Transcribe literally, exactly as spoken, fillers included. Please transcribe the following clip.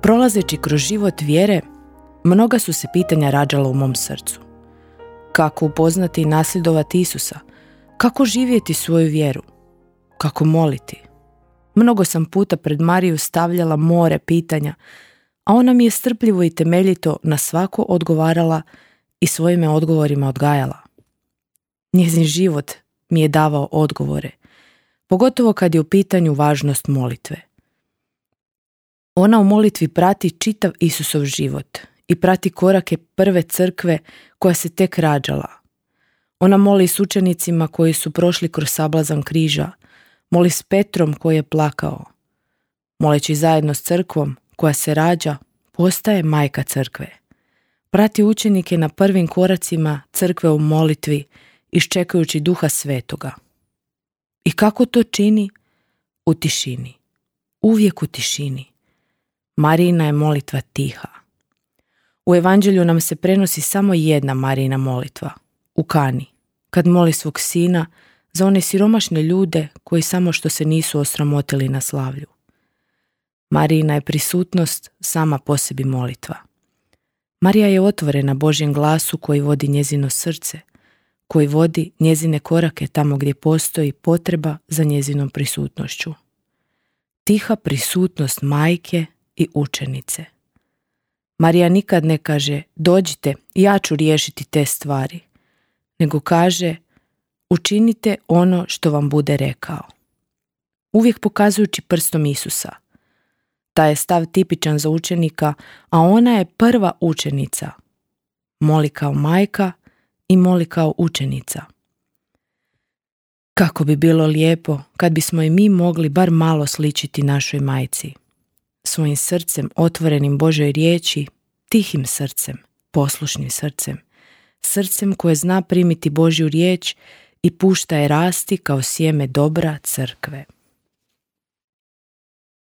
Prolazeći kroz život vjere, mnoga su se pitanja rađala u mom srcu. Kako upoznati i nasljedovati Isusa? Kako živjeti svoju vjeru? Kako moliti? Mnogo sam puta pred Mariju stavljala more pitanja, a ona mi je strpljivo i temeljito na svako odgovarala i svojim odgovorima odgajala. Njezin život mi je davao odgovore, pogotovo kad je u pitanju važnost molitve. Ona u molitvi prati čitav Isusov život i prati korake prve crkve koja se tek rađala. Ona moli s učenicima koji su prošli kroz sablazan križa, moli s Petrom koji je plakao. Moleći zajedno s crkvom koja se rađa, postaje majka crkve. Prati učenike na prvim koracima crkve u molitvi, iščekujući Duha Svetoga. I kako to čini? U tišini. Uvijek u tišini. Marijina je molitva tiha. U evanđelju nam se prenosi samo jedna Marijina molitva, u Kani, kad moli svog sina za one siromašne ljude koji samo što se nisu osramotili na slavlju. Marijina je prisutnost sama po sebi molitva. Marija je otvorena Božjem glasu koji vodi njezino srce, koji vodi njezine korake tamo gdje postoji potreba za njezinom prisutnošću. Tiha prisutnost majke i učenice. Marija nikad ne kaže dođite, ja ću riješiti te stvari, nego kaže učinite ono što vam bude rekao. Uvijek pokazujući prstom Isusa. Taj je stav tipičan za učenika, a ona je prva učenica. Moli kao majka i moli kao učenica. Kako bi bilo lijepo kad bismo i mi mogli bar malo sličiti našoj majci. Svojim srcem otvorenim Božoj riječi, tihim srcem, poslušnim srcem, srcem koje zna primiti Božju riječ i pušta je rasti kao sjeme dobra crkve.